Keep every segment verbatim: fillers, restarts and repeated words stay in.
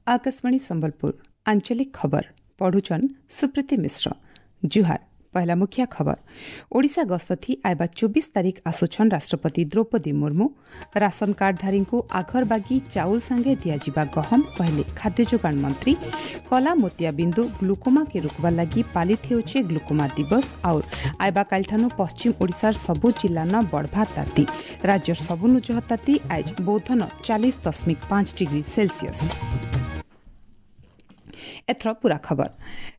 ଆକାଶବାଣୀ ସମ୍ବଲପୁର ଆଞ୍ଚଳିକ ଖବର ପଢୁଛନ୍ ସୁପ୍ରୀତି ମିଶ୍ର ଜୁହାର ପହଲା ମୁଖିଆ ଖବର ଓଡ଼ିଶା ଗସ୍ତ ଥି ଆଇବା ଚବିଶ ତାରିଖ ଆସୁଛନ୍ ରାଷ୍ଟ୍ରପତି ଦ୍ରୌପଦୀ ମୁର୍ମୁ ରାସନ କାର୍ଡଧାରୀଙ୍କୁ ଆଘରବାଗି ଚାଉଲ ସାଙ୍ଗେ ଦିଆଯିବା ଗହମ କହିଲେ ଖାଦ୍ୟ ଯୋଗାଣ ମନ୍ତ୍ରୀ କଲା ମୋତିଆ ବିନ୍ଦୁ ଗ୍ଲୁକୋମାକେ ରୋକବା ଲାଗି ପାଳିତ ହେଉଛେ ଗ୍ଲୁକୋମା ଦିବସ ଆଉ ଆଇବା କାଲିଠାନୁ ପଶ୍ଚିମ ଓଡ଼ିଶାର ସବୁ ଜିଲ୍ଲାନ ବଢ଼ବା ତାତି ରାଜ୍ୟର ସବୁନୁ ଜହ ତାତି ଆଇଜ ବୌଦ୍ଧନ ଚାଳିଶ ଦଶମିକ ପାଞ୍ଚ ଡିଗ୍ରୀ ସେଲସିୟସ୍ ଏଥର ପୁରା ଖବର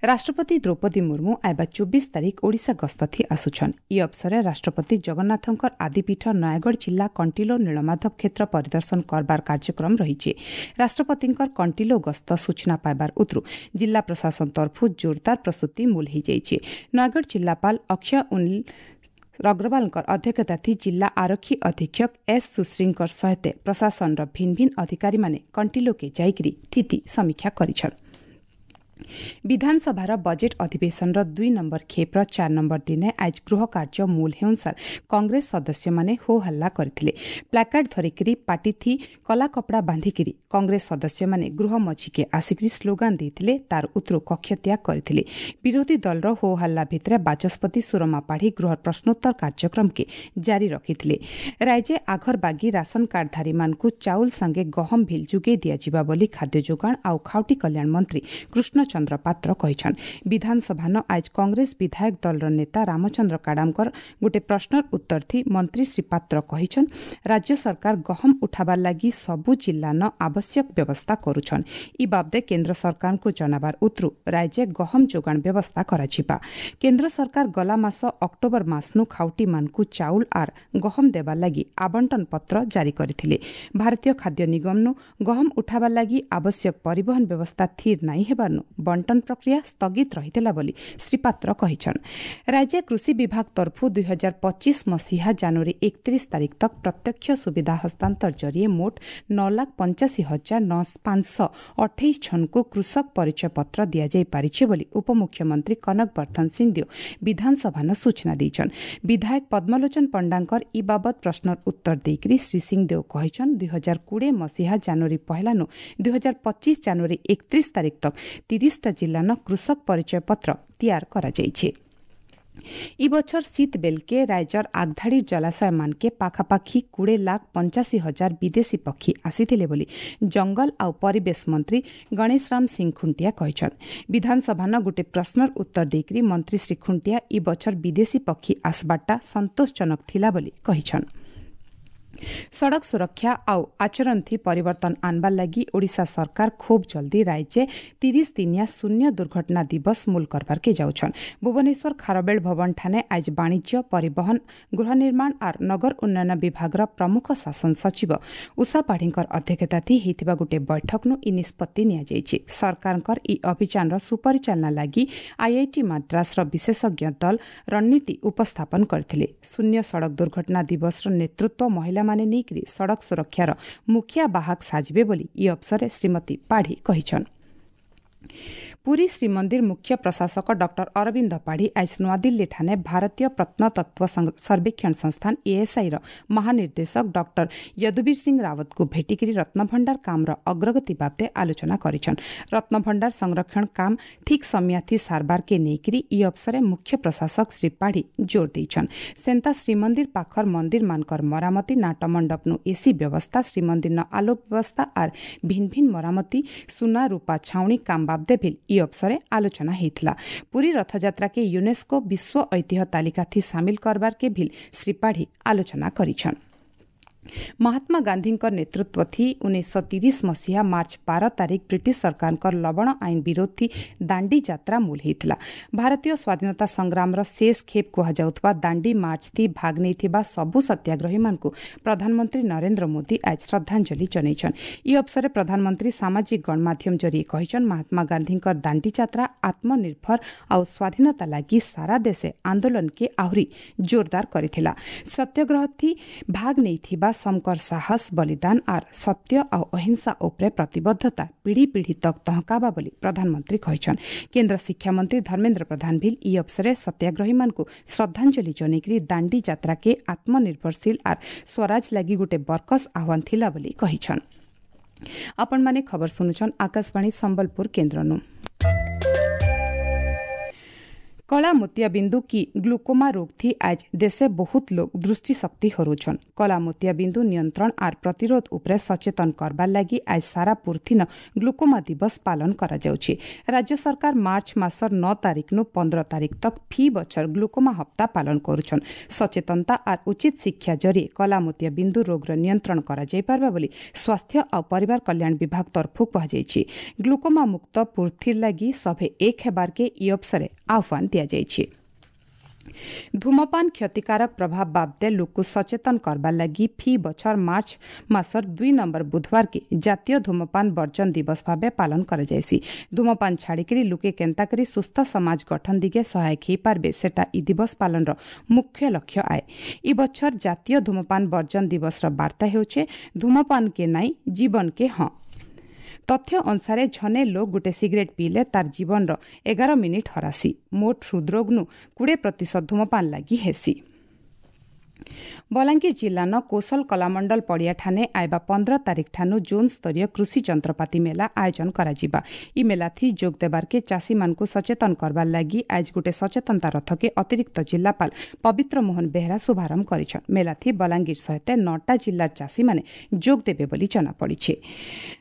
ରାଷ୍ଟ୍ରପତି ଦ୍ରୌପଦୀ ମୁର୍ମୁ ଆଇବା ଚବିଶ ତାରିଖ ଓଡ଼ିଶା ଗସ୍ତ ଥି ଆସୁଛନ୍ ଇ ଅବସରେ ରାଷ୍ଟ୍ରପତି ଜଗନ୍ନାଥଙ୍କର ଆଦିପୀଠ ନୟାଗଡ଼ ଜିଲ୍ଲା କଣ୍ଟିଲୋ ନୀଳମାଧବ କ୍ଷେତ୍ର ପରିଦର୍ଶନ କରବାର କାର୍ଯ୍ୟକ୍ରମ ରହିଛି ରାଷ୍ଟ୍ରପତିଙ୍କର କଣ୍ଟିଲୋ ଗସ୍ତ ସୂଚନା ପାଇବାର ଉତରୁ ଜିଲ୍ଲା ପ୍ରଶାସନ ତରଫରୁ ଜୋରଦାର ପ୍ରସ୍ତୁତି ମୂଲ ହୋଇଯାଇଛି ନୟାଗଡ଼ ଜିଲ୍ଲାପାଳ ଅକ୍ଷୟ ଉନିଲ ଅଗ୍ରୱାଲଙ୍କର ଅଧ୍ୟକ୍ଷତା ଥି ଜିଲ୍ଲା ଆରକ୍ଷୀ ଅଧୀକ୍ଷକ ଏସ୍ ସୁଶ୍ରୀଙ୍କର ସହିତ ପ୍ରଶାସନର ଭିନ୍ନ ଭିନ୍ନ ଅଧିକାରୀମାନେ କଣ୍ଟିଲୋକେ ଯାଇକରି ସ୍ଥିତି ସମୀକ୍ଷା କରିଛନ୍ ବିଧାନସଭାର ବଜେଟ୍ ଅଧିବେଶନର ଦୁଇ ନମ୍ବର ଖେପ୍ର ଚାରି ନମ୍ବର ଦିନେ ଆଜି ଗୃହ କାର୍ଯ୍ୟ ମୂଲ ହେଉନସାର କଂଗ୍ରେସ ସଦସ୍ୟମାନେ ହୋ ହଲ୍ଲା କରିଥିଲେ ପ୍ଲାକାର୍ଡ ଧରିକିରି ପାଟିଥି କଲା କପଡ଼ା ବାନ୍ଧିକିରି କଂଗ୍ରେସ ସଦସ୍ୟମାନେ ଗୃହ ମଝିକେ ଆସିକରି ସ୍ଲୋଗାନ ଦେଇଥିଲେ ତାର ଉତ୍ତରୁ କକ୍ଷତ୍ୟାଗ କରିଥିଲେ ବିରୋଧୀ ଦଳର ହୋ ହଲ୍ଲା ଭିତରେ ବାଚସ୍ପତି ସୁରମା ପାଢ଼ୀ ଗୃହ ପ୍ରଶ୍ନୋତ୍ତର କାର୍ଯ୍ୟକ୍ରମକେ ଜାରି ରଖିଥିଲେ ରାଜ୍ୟ ଆଘରବାଗି ରାସନ କାର୍ଡଧାରୀମାନଙ୍କୁ ଚାଉଲ ସାଙ୍ଗେ ଗହମ ଭିଲ୍ ଯୋଗାଇ ଦିଆଯିବା ବୋଲି ଖାଦ୍ୟ ଯୋଗାଣ ଆଉ ଖାଉଟି କଲ୍ୟାଣ ମନ୍ତ୍ରୀ କୃଷ୍ଣ ଚନ୍ଦ୍ର ପାତ୍ର କହିଛନ୍ ବିଧାନସଭାନ ଆଜ କଂଗ୍ରେସ ବିଧାୟକ ଦଳର ନେତା ରାମଚନ୍ଦ୍ର କାଡାମଙ୍କର ଗୋଟିଏ ପ୍ରଶ୍ନର ଉତ୍ତର ଥି ମନ୍ତ୍ରୀ ଶ୍ରୀ ପାତ୍ର କହିଛନ୍ ରାଜ୍ୟ ସରକାର ଗହମ ଉଠାବାର ଲାଗି ସବୁ ଜିଲ୍ଲାନ ଆବଶ୍ୟକ ବ୍ୟବସ୍ଥା କରୁଛନ୍ ଇ ବାବଦେ କେନ୍ଦ୍ର ସରକାରଙ୍କୁ ଜଣାବାର ଉତ୍ତରୁ ରାଜ୍ୟ ଗହମ ଯୋଗାଣ ବ୍ୟବସ୍ଥା କରାଯିବା କେନ୍ଦ୍ର ସରକାର ଗଲା ମାସ ଅକ୍ଟୋବର ମାସନୁ ଖାଉଟିମାନଙ୍କୁ ଚାଉଳ ଆର୍ ଗହମ ଦେବାର ଲାଗି ଆବଣ୍ଟନ ପତ୍ର ଜାରି କରିଥିଲେ ଭାରତୀୟ ଖାଦ୍ୟ ନିଗମନୁ ଗହମ ଉଠାବାର ଲାଗି ଆବଶ୍ୟକ ପରିବହନ ବ୍ୟବସ୍ଥା ଥିର ନାଇଁ ହେବାରନୁ ବଣ୍ଟନ ପ୍ରକ୍ରିୟା ସ୍ଥଗିତ ରହିଥିଲା ବୋଲି ଶ୍ରୀ ପାତ୍ର କହିଛନ୍ ରାଜ୍ୟ କୃଷି ବିଭାଗ ତରଫରୁ ଦୁଇ ହଜାର ପଚିଶ ମସିହା ଜାନୁଆରୀ ଏକତିରିଶ ତାରିଖ ତକ୍ ପ୍ରତ୍ୟକ୍ଷ ସୁବିଧା ହସ୍ତାନ୍ତର ଜରିଏ ମୋଟ ନଅ ଲାଖ ପଞ୍ଚାଅଶୀ ହଜାର ନଅ ପାଞ୍ଚଶହ ଅଠେଇଶ ଜଣଙ୍କୁ କୃଷକ ପରିଚୟ ପତ୍ର ଦିଆଯାଇପାରିଛି ବୋଲି ଉପମୁଖ୍ୟମନ୍ତ୍ରୀ କନକ ବର୍ଦ୍ଧନ ସିଂଦେଓ ବିଧାନସଭାନ ସୂଚନା ଦେଇଛନ୍ ବିଧାୟକ ପଦ୍ମଲୋଚନ ପଣ୍ଡାଙ୍କର ଇ ବାବଦ ପ୍ରଶ୍ନର ଉତ୍ତର ଦେଇକରି ଶ୍ରୀ ସିଂଦେଓ କହିଛନ୍ ଦୁଇ ହଜାର କୋଡ଼ିଏ ମସିହା ଜାନୁଆରୀ ପହିଲାନୁ ଦୁଇ ହଜାର ପଚିଶ ଜାନୁଆରୀ ଏକତିରିଶ ତାରିଖ ତକ୍ ତିରିଶଟା ଜିଲ୍ଲାନ କୃଷକ ପରିଚୟ ପତ୍ର ତିଆର କରାଯାଇଛି ଇ ବଛର ଶୀତ ବେଲକେ ରାଜ୍ୟର ଆଗଧାଡ଼ି ଜଳାଶୟମାନକେ ପାଖାପାଖି କୋଡ଼ିଏ ଲାଖ ପଞ୍ଚାଅଶୀ ହଜାର ବିଦେଶୀ ପକ୍ଷୀ ଆସିଥିଲେ ବୋଲି ଜଙ୍ଗଲ ଆଉ ପରିବେଶ ମନ୍ତ୍ରୀ ଗଣେଶ ରାମ ସିଂ ଖୁଣ୍ଟିଆ କହିଛନ୍ ବିଧାନସଭାନ ଗୋଟିଏ ପ୍ରଶ୍ନର ଉତ୍ତର ଦେଇକରି ମନ୍ତ୍ରୀ ଶ୍ରୀ ଖୁଣ୍ଟିଆ ଇ ବଛର ବିଦେଶୀ ପକ୍ଷୀ ଆସବାରଟା ସନ୍ତୋଷଜନକ ଥିଲା ବୋଲି କହିଛନ୍ ସଡ଼କ ସୁରକ୍ଷା ଆଉ ଆଚରଣ ଥି ପରିବର୍ତ୍ତନ ଆନବାର ଲାଗି ଓଡ଼ିଶା ସରକାର ଖୁବ୍ ଜଲ୍ଦି ରାଜ୍ୟ ତିରିଶ ଦିନିଆ ଶୂନ୍ୟ ଦୁର୍ଘଟଣା ଦିବସ ମୂଲ କରବାର୍କେ ଯାଉଛନ୍ ଭୁବନେଶ୍ୱର ଖାରବେଳ ଭବନ ଠାନେ ଆଜ ବାଣିଜ୍ୟ ପରିବହନ ଗୃହ ନିର୍ମାଣ ଆର୍ ନଗର ଉନ୍ନୟନ ବିଭାଗର ପ୍ରମୁଖ ଶାସନ ସଚିବ ଉଷା ପାଢ଼ୀଙ୍କର ଅଧ୍ୟକ୍ଷତା ଥି ହେଇଥିବା ଗୋଟିଏ ବୈଠକନୁ ଇ ନିଷ୍ପତ୍ତି ନିଆଯାଇଛି ସରକାରଙ୍କର ଇ ଅଭିଯାନର ସୁପରିଚାଳନା ଲାଗି ଆଇଆଇଟି ମାଦ୍ରାସର ବିଶେଷଜ୍ଞ ଦଳ ରଣନୀତି ଉପସ୍ଥାପନ କରିଥିଲେ ଶୂନ୍ୟ ସଡ଼କ ଦୁର୍ଘଟଣା ଦିବସର ନେତୃତ୍ୱ ମହିଳା ମାନେ ନେଇକରି ସଡ଼କ ସୁରକ୍ଷାର ମୁଖିଆ ବାହକ ସାଜିବେ ବୋଲି ଇ ଅବସରରେ ଶ୍ରୀମତୀ ପାଢ଼ୀ କହିଛନ୍ ପୁରୀ ଶ୍ରୀମନ୍ଦିର ମୁଖ୍ୟ ପ୍ରଶାସକ ଡକ୍ଟର ଅରବିନ୍ଦ ପାଢ଼ୀ ଆଜ ନୂଆଦିଲ୍ଲୀଠାରେ ଭାରତୀୟ ପ୍ରତ୍ନତତ୍ତ୍ୱ ସର୍ବେକ୍ଷଣ ସଂସ୍ଥାନ ଏଏସ୍ଆଇର ମହାନିର୍ଦ୍ଦେଶକ ଡକ୍ଟର ଯଦୁବୀର ସିଂ ରାୱତଙ୍କୁ ଭେଟିକରି ରତ୍ନଭଣ୍ଡାର କାମର ଅଗ୍ରଗତି ବାବଦେ ଆଲୋଚନା କରିଛନ୍ ରତ୍ନଭଣ୍ଡାର ସଂରକ୍ଷଣ କାମ ଠିକ୍ ସମୟାଥି ସାରବାରକେ ନେଇକରି ଇ ଅବସରେ ମୁଖ୍ୟ ପ୍ରଶାସକ ଶ୍ରୀ ପାଢ଼ୀ ଜୋର ଦେଇଛନ୍ ସେନ୍ତା ଶ୍ରୀମନ୍ଦିର ପାଖର ମନ୍ଦିରମାନଙ୍କର ମରାମତି ନାଟମଣ୍ଡପନୁ ଏସି ବ୍ୟବସ୍ଥା ଶ୍ରୀମନ୍ଦିରନ ଆଲୋକ ବ୍ୟବସ୍ଥା ଆର୍ ଭିନ୍ନ ଭିନ୍ନ ମରାମତି ସୁନା ରୂପା ଛାଉଣି କାମ ବାବଦେ ଭିଲ୍ ଇ ଅବସରେ ଆଲୋଚନା ହେଇଥିଲା ପୁରୀ ରଥଯାତ୍ରାକେ ୟୁନେସ୍କୋ ବିଶ୍ୱ ଐତିହ୍ୟ ତାଲିକାଥି ସାମିଲ କରବାର୍କେ ଭିଲ୍ ଶ୍ରୀ ପାଢ଼ୀ ଆଲୋଚନା କରିଛନ୍ ମହାତ୍ମା ଗାନ୍ଧୀଙ୍କ ନେତୃତ୍ୱ ଥି ଉଣେଇଶହ ତିରିଶ ମସିହା ମାର୍ଚ୍ଚ ବାର ତାରିଖ ବ୍ରିଟିଶ ସରକାରଙ୍କ ଲବଣ ଆଇନ ବିରୋଧୀ ଦାଣ୍ଡି ଯାତ୍ରା ମୂଲ ହେଇଥିଲା ଭାରତୀୟ ସ୍ୱାଧୀନତା ସଂଗ୍ରାମର ଶେଷ ଖେପ୍ କୁହାଯାଉଥିବା ଦାଣ୍ଡି ମାର୍ଚ୍ଚ ଥି ଭାଗ ନେଇଥିବା ସବୁ ସତ୍ୟାଗ୍ରହୀମାନଙ୍କୁ ପ୍ରଧାନମନ୍ତ୍ରୀ ନରେନ୍ଦ୍ର ମୋଦି ଆଜି ଶ୍ରଦ୍ଧାଞ୍ଜଳି ଜଣାଇଛନ୍ ଇ ଅବସରରେ ପ୍ରଧାନମନ୍ତ୍ରୀ ସାମାଜିକ ଗଣମାଧ୍ୟମ ଜରିଏ କହିଛନ୍ ମହାତ୍ମା ଗାନ୍ଧୀଙ୍କ ଦାଣ୍ଡି ଯାତ୍ରା ଆତ୍ମନିର୍ଭର ଆଉ ସ୍ୱାଧୀନତା ଲାଗି ସାରା ଦେଶେ ଆନ୍ଦୋଳନକେ ଆହୁରି ଜୋରଦାର କରିଥିଲା ସତ୍ୟାଗ୍ରହ ଥି ଭାଗ ନେଇଥିବା ସମକର ସାହସ ବଳିଦାନ ଆର୍ ସତ୍ୟ ଆଉ ଅହିଂସା ଉପରେ ପ୍ରତିବଦ୍ଧତା ପିଢ଼ି ପିଢ଼ି ତକ୍ ତହକାବା ବୋଲି ପ୍ରଧାନମନ୍ତ୍ରୀ କହିଛନ୍ କେନ୍ଦ୍ର ଶିକ୍ଷାମନ୍ତ୍ରୀ ଧର୍ମେନ୍ଦ୍ର ପ୍ରଧାନ ଭିଲ୍ ଇ ଅବସରେ ସତ୍ୟାଗ୍ରହୀମାନଙ୍କୁ ଶ୍ରଦ୍ଧାଞ୍ଜଳି ଜଣାଇକରି ଦାଣ୍ଡି ଯାତ୍ରାକେ ଆତ୍ମନିର୍ଭରଶୀଳ ଆର୍ ସ୍ୱରାଜ ଲାଗି ଗୋଟେ ବରକସ ଆହ୍ୱାନ ଥିଲା ବୋଲି କହିଛନ୍। ଆପଣମାନେ ଖବର ଶୁଣୁଛନ୍ ଆକାଶବାଣୀ ସମ୍ବଲପୁର କେନ୍ଦ୍ରନୁ। କଳା ମୋତିଆ ବିନ୍ଦୁ କି ଗ୍ଲୁକୋମା ରୋଗ थी आज देशे बहुत लोग दृष्टि शक्ति हरुछन। कला मोतिया बिंदु नियंत्रण are प्रतिरोध उपरे सचेतन करबार लागि आज सारा पुर्थिन ग्लुकोमा दिवस पालन करा जाଉଛି। राज्य सरकार मार्च मासर नौ तारीख नु पंद्रह तारीख तक फी बछर ग्लुकोमा हप्ता पालन करुछन। सचेतनता are उचित शिक्षा जरिए कला मोतिया बिंदु रोगର नियंत्रण करा जाई पारबा बोली स्वास्थ्य आ परिवार कल्याण विभाग तरफु कुहा। ग्लुकोमा मुक्त पुर्थिर लागि सभे एक हेबार के इ अवसरे आह्वान दियाଯାଇଛି। धूमपान क्षतिकारक प्रभाव बाबदे लोक सचेतन करबार लागि फी बछर मार्च मासर दुई नंबर बुधवार के जातीय धूमपान बर्जन दिवस भावे पालन करा जायसी। धूमपान छाड़िकरी लोके केन्ता करी सुस्थ समाज गठन दिगे सहायक ही पारबे सेटा इ दिवस पालन र मुख्य लक्ष्य आए। इ बछर जातीय धूमपान बर्जन दिवस र बार्ता हेउछे धूमपान के नाई जीवन के हाँ। तथ्य अनुसार झने लोग गोटे सिगरेट पीले तार जीवन एगार मिनिट हरासी। मोट हृदरोग नु कुड़े प्रतिशत धूमपान लागि हेसी। बलांगीर जिल्लान कौशल कलामंडल पड़िया ठाने आइबा पंद्रह तारीख ठानु जोन स्तरीय कृषि यंत्रपाति मेला आयोजन कराजिबा। इ मेला थी जोग देबार के चाषी मानकु सचेतन करबार लागि आज गोटे सचेतनता रथ के अतिरिक्त जिल्लापाल पवित्र मोहन बेहरा शुभारंभ करिछन। मेला थी बलांगीर सहित नौटा जिल्लार चाषी माने जोग देबे बोली जना पड़िछे।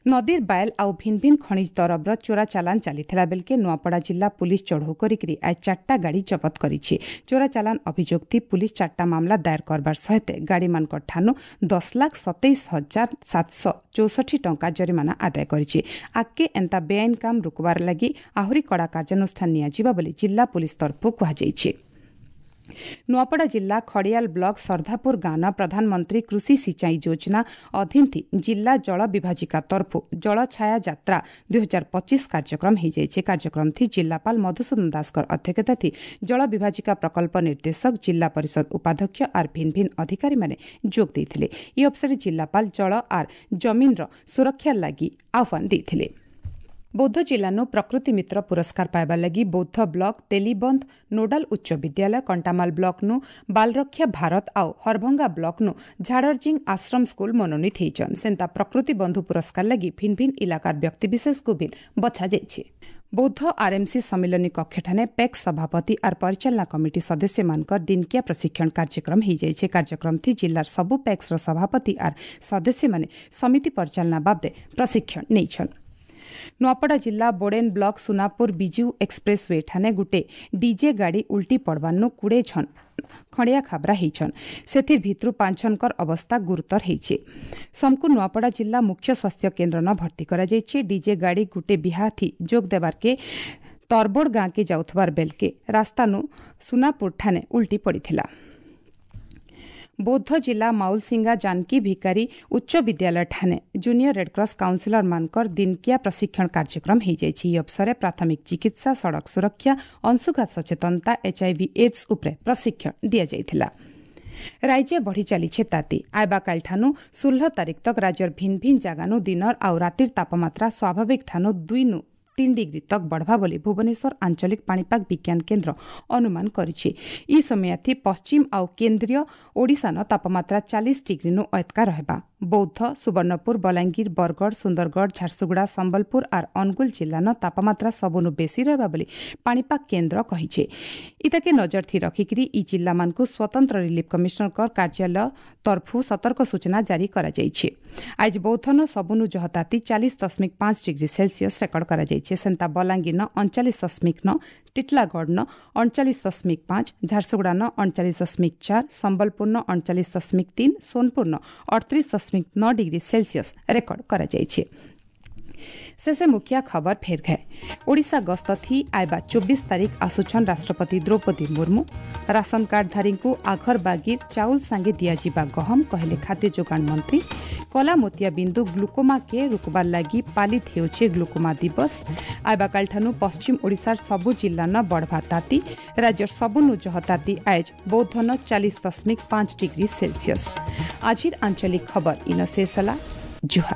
नदीर बायल आउ भिन भिन खनिज दरबर चोरा चालान चालिथिला बेलके नुआपड़ा जिल्ला पुलिस चढ़ऊ करिकरी आज चारटा गाड़ी जबत करिछि। चोरा चालान अभियोग थी पुलिस चारटा मामला दायर करबार सहित गाड़ी मान ठानु दस लाख सतेइस हजार सात सौ चौसठी टंका जरिमाना आदाय करिछि। आगके एंता बेआईन काम रोकबार लागि आहुरी कड़ा कार्यानुष्ठान नियाजिबा बोली जिल्ला पुलिस तरफु कुहाଯାଇଛି। नुआपड़ा जिला खड़ियाल ब्लक सरधापुर गाँव प्रधानमंत्री कृषि सिंचाई योजना अधीन थी जिला जल विभाजिका तरफु जल छाया यात्रा दुई हजार पच्चीस कार्यक्रम हो। कार्यक्रम थी जिलापाल मधुसूदन दासकर अध्यक्षता थी जल विभाजिका प्रकल्प निर्देशक जिला परिषद उपाध्यक्ष are भिन भिन अधिकारी माने जोग देइथिले। इ अवसर जिलापाल जल are जमीन र सुरक्षा लागि आह्वान देइथिले। बौद्ध जिल्लानु प्रकृति मित्र पुरस्कार पाइबार लागि बौद्ध ब्लक तेलीबंध नोडाल उच्च विद्यालय, कंटामाल ब्लकनु बालरक्षा भारत आउ हरभंगा ब्लकनु झाड़रजिंग आश्रम स्कूल मनोनीत होइछन। सेन्ता प्रकृति बंधु पुरस्कार लागि भिन भिन इलाकार व्यक्ति विशेष को भी बछा जाइछि। बौद्ध आरएमसी सम्मिलनी कक्षठाने पैक्स सभापति are परिचालना कमिटी सदस्य मानकर दिनकिया प्रशिक्षण कार्यक्रम हो। कार्यक्रम थी जिलार सबु पैक्स र सभापति are सदस्य माने समिति परिचालना बाबदे प्रशिक्षण नेइछन। नुआपड़ा जिला Boden block Sunapur Biju express way ठाने गुटे डीजे गाड़ी उल्टी पड़बानु कुड़े छन खड़िया खाबरा ହେଇଛନ୍। ସେଥିର୍ ଭିତରୁ ପାଞ୍ଚ ଜଣଙ୍କର ଅବସ୍ଥା ଗୁରୁତର ହେଇଛି। ସମକୁ ନୂଆପଡ଼ା ଜିଲ୍ଲା ମୁଖ୍ୟ ସ୍ୱାସ୍ଥ୍ୟ କେନ୍ଦ୍ର ନ ଭର୍ତ୍ତି କରାଯାଇଛି। ଡିଜେ ଗାଡ଼ି ଗୁଟେ ବିହାଥି ଯୋଗ ଦେବାର୍କେ ତରବୋଡ଼ ଗାଁକେ ଯାଉଥିବାର ବେଲକେ ରାସ୍ତାନୁ ସୁନାପୁର ଠାନେ ଉଲ୍ଟି ପଡ଼ିଥିଲା। बौद्ध जिला माउलसिंगा जानकी भिकारी उच्च विद्यालय ठाने जूनियर रेडक्रॉस काउंसिलर मानकर दिनकिया प्रशिक्षण कार्यक्रम हो। अवसर प्राथमिक चिकित्सा, सड़क सुरक्षा, अंशुघात सचेतनता, एचआईवी एड्स उपरे प्रशिक्षण दिया जाइथिला। राज्य बढ़ी चालीছে ताती। आइबाकाल ठानु षोह तारीख तक राज्यर भिन भिन जागानु दिनर आउ रातिर तापमात्रा स्वाभाविक ठानु दुई नु तीन डिग्री तक बढ़वा बोली भुवनेश्वर आंचलिक पाणीपाग विज्ञान केन्द्र अनुमान करिछि। इ समयाथि पश्चिम आउ केन्द्रीय ओडिशान तापमात्रा चालीस डिग्री नु अयतका रहेबा। बौद्ध, सुवर्णपुर, बलांगीर, बरगढ़, सुंदरगढ़, झारसुगुड़ा, संबलपुर are Angul जिल्लान तापमात्रा सबुनु बेसी रहेबा बोली पाणीपाग केन्द्र कहिছে। इताके नजर थी रखिकरी इ जिल्ला मानकु स्वतंत्र रिलीफ कमिश्नरकर कार्यालय तरफु सतर्क सूचना जारी करा जाइछि। आज बौद्धन सबुनु जहताती चालीस दशमिक पाँच डिग्री सेल्सियस रेकर्ड करा जाइछि। सेन्ता बलांगीर न अणचालीस दशमिक नौ, टिटलागढ़ न अणचालीस दशमिक पाँच, झारसुगुड़ा न अणचालीस दशमिक चार, संबलपुर न अणचालीस दशमिक तीन, सोनपुर न अड़तीस दशमिक नौ डिग्री सेल्सियस रेकर्ड करा जाइछि। शेषे मुखिया खबर फेर गए। ओडिशा गस्त थी आइबा चौबीस तारीख आसुछन राष्ट्रपति द्रौपदी मुर्मू। राशन कार्डधारी को आघर बागीर चाउल सांगे दियाजिबा गहम कहले खाद्य जोगाण मंत्री। कला मोतिया बिंदु ग्लुकोमा के रोकबार लागि पालित हेउछे ग्लुकोमा दिवस। आइबाकाल ठानु पश्चिम ओडिशार सबु जिल्ला न बढ़वा ताती। राज्यर सबुनु जह ताती आइज बौद्ध न चालीस दशमिक पाँच डिग्री सेल्सियस। आजिर आंचलिक खबर इन शेष हला। जुहार।